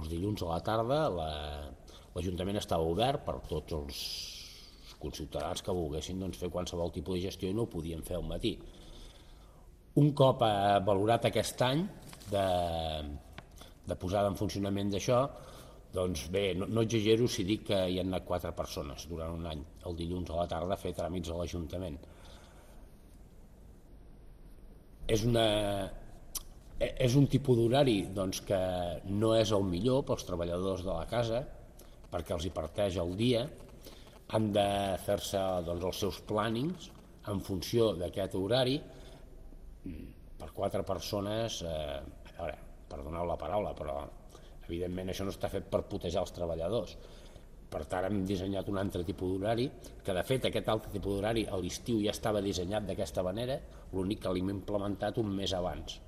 els dilluns a la tarda l'Ajuntament estava obert per tots els conciutadans que volguessin fer qualsevol tipus de gestió i no ho podien fer al matí. Un cop valorat aquest any de posada en funcionament d'això, doncs bé, no exagero si dic que hi han anat 4 persones durant un any, el dilluns a la tarda, a fer tràmits a l'Ajuntament. És un tipus d'horari que no és el millor pels treballadors de la casa, perquè els hi parteix el dia, han de fer-se els seus plànings en funció d'aquest horari. Per 4 persones, a veure, perdoneu la paraula, però evidentment això no està fet per putejar els treballadors. Per tant, hem dissenyat un altre tipus d'horari, que de fet aquest altre tipus d'horari a l'estiu ja estava dissenyat d'aquesta manera, l'únic que l'hem implementat un mes abans.